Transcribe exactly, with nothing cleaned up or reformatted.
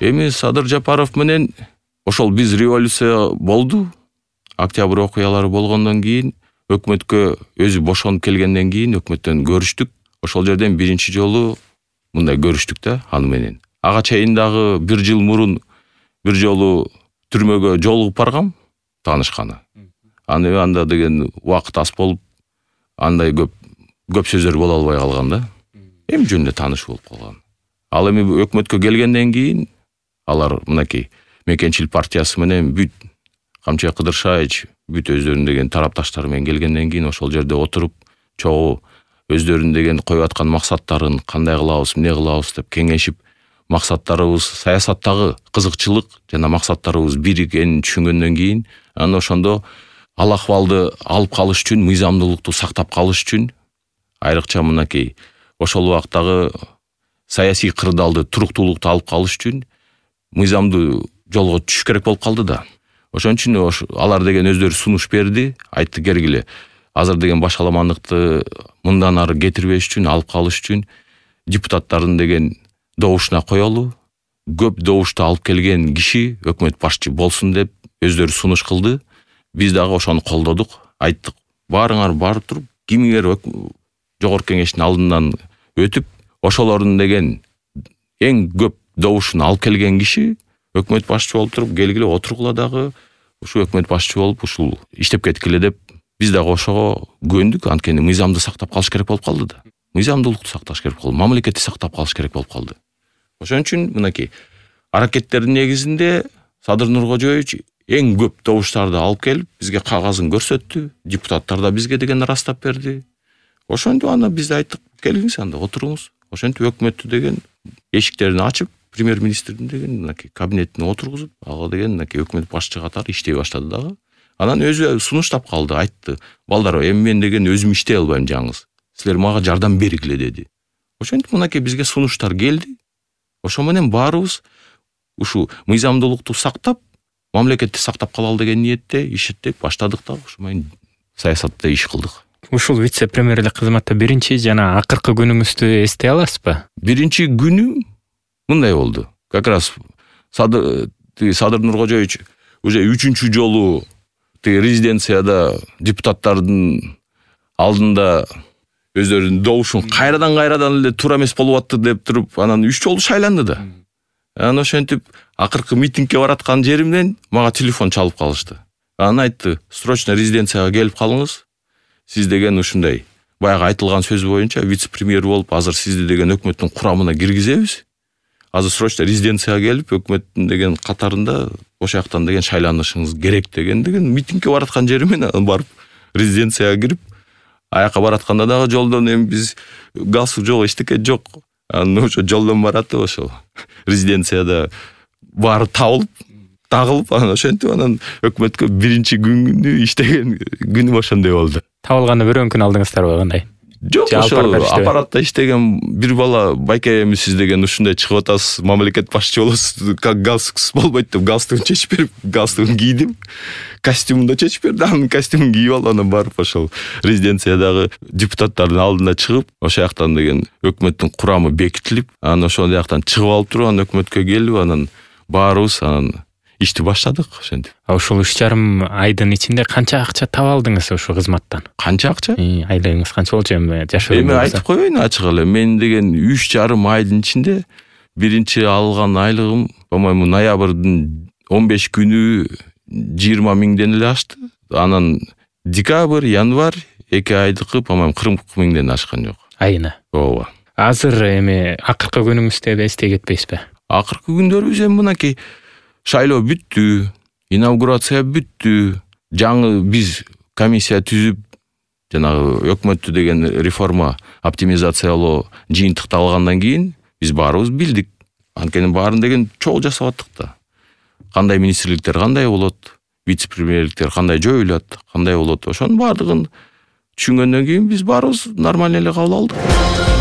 Эми Садыр Жапаров менен ошол биз революция болду. Октябрь окуялары болгондон кийин өкмөткө өзү бошонуп келгенден кийин өкмөттөн көрүштүк. Ошол жерден биринчи жолу мындай көрүштүк да аны менен. Ага чейин дагы бир жыл мурун бир жолу түрмөгө жолугуп баргам, таанышканы. Аны анда деген убакыт аз болуп, андай көп көп сөздөр боло албай калган да. Эми жөнүндө тааныш болуп калган. Ал эми өкмөткө келгенден кийин алар мынакей Мекенчил партиясы менен бүт Камчыбек Кыдыршаевич бүт өздөрүнүн деген тарапташтары менен келгенден кийин ошол жерде отуруп, чогуу өздөрүнүн деген коюп аткан максаттарын кандай кылабыз, эмне кылабыз деп кеңешип, максаттарыбыз саясаттагы кызыкчылык жана максаттарыбыз бир экенин түшүнгөндөн кийин, анан ошондо ал акыбалды алып калыш үчүн, мыйзамдуулукту сактап калыш үчүн, айрыкча мынакей ошол убактагы саясий кырдаалды, туруктуулукту алып калыш үчүн мыйзамдуу жолго түшүш керек болуп калды да. Ошон үчүн алар деген өздөрү сунуш берди, айтты кергиле. Азыр деген башаламандыкты мындан ары кетирбеш үчүн, алып калыш үчүн депутаттардын деген добушуна коелу. Көп добушту алып келген киши өкмөт башчы болсун деп өздөрү сунуш кылды. Биз дагы ошону колдодук, айттык. Баарыңар барып туруп, кимиңер жогорку кеңештин алдынан өтүп, ошолордун деген эң көп добушун алып келген киши өкмөт башчы болуп туруп, келгиле отургула дагы ушу өкмөт башчы болуп ушул иштеп кеткиле деп биз дагы ошого көндүк. Анткени мыйзамды сактап калыш керек болуп калды да. Мыйзамдуулукту сакташ керек болду, мамлекетти сактап калыш керек болуп калды. Ошон үчүн мынакей аракеттердин негизинде Садыр Нуркожоевич эң көп добуштарды алып келип, бизге кагазын көрсөттү. Депутаттар да бизге деген ырастап берди. Ошондо аны биз айттык, келиңиз анда отуруңуз. Ошентип өкмөттү деген эшиктерин ачып, премьер-министрдин деген мынакей кабинетине отургузуп, ага деген мынакей өкмөт башчы катары иштей баштады дагы. Анан өзү сунуштап калды, айтты. Балдар, эми мен деген өзүм иштей албайм жаңыз. Силер мага жардам бергиле деди. Ошентип мынакей бизге сунуштар келди. Ошо менен баарыбыз ушу мыйзамдуулукту сактап, мамлекетти сактап калалы деген ниетте иштеп баштадык да, ошо менен саясатта иш кылдык. Ушул вице-премьерлик кызматта биринчи жана акыркы күнүңүздү эстей аласызбы? Биринчи күнүм мындай болду. Как раз Садыр Садыр Нуркожоевич уже үчүнчү жолу резиденцияда депутаттардын алдында өздөрүнүн добушун кайрадан кайрадан эле туура эмес болуп атты деп туруп, анан үч жолу шайланды да. Анан ошентип акыркы митингге бараткан жеримден мага телефон чалып калышты. Анан айтты, срочно резиденцияга келип калыңыз. Сиз деген ушундай баягы айтылган сөз боюнча вице-премьер болуп, азыр сизди деген өкмөттүн курамына киргизебиз. Азыр срочно резиденцияга келип, өкмөттүн деген катарында ошол жактан деген шайланышыңыз керек деген деген митингге бараткан жеримен барып резиденцияга кирип, аяка баратканда дагы жолдон эми биз галстук жок, эчтеке жок. Анан ошо жолдон баратып ошол резиденцияда баары табылып, тагылып, анан ошентип анан өкмөткө биринчи күнү иштеген күнүм ошондой болду. Табылганда бирөө күн алдыңыздарбы кандай? Жок, ошо аппаратта иштеген бир бала, байке эми сиз деген ушундай чыгып атасыз, мамлекет башчы болосуз, как галстуксуз болбойт деп галстугун чечип берип, галстугун кийдим. Костюмун да чечип берди, анын костюмун кийип алып, анан барып ошол резиденциядагы депутаттардын алдына чыгып, ошол жактан деген өкмөттүн курамы бекитилип, анан ошол жактан чыгып алып туруп, анан өкмөткө келип, анан баарыбыз анан ишти баштадык ошентип. Ушул үч жарым айдын ичинде канча акча таба алдыңыз ошо кызматтан? Канча акча? Айлыгыңыз канча болчу эми жашоо? Эми айтып коеюн ачык эле. Мен деген үч жарым айдын ичинде биринчи алган айлыгым, по-моему, ноябрдын он беш күнү жыйырма миңден эле ашты. Анан декабрь, январь эки айдыкы, по-моему, кырк миңден ашкан жок. Айына. Ооба. Азыр эми акыркы күнүңүздө эстей кетпейсизби? Акыркы күндөрүбүз эми мынакей шайлоо бүттү, инаугурация бүттү, жаңы биз комиссия түзүп, жанагы өкмөттү деген реформа, оптимизациялоо жыйынтыкталгандан кийин биз баарыбыз билдик. Анткени баарын деген чогуу жасап аттык да. Кандай министрликтер кандай болот, вице-премьерликтер кандай жоюлат, кандай болот, ошонун баардыгын түшүнгөндөн кийин биз баарыбыз нормально эле кабыл алдык.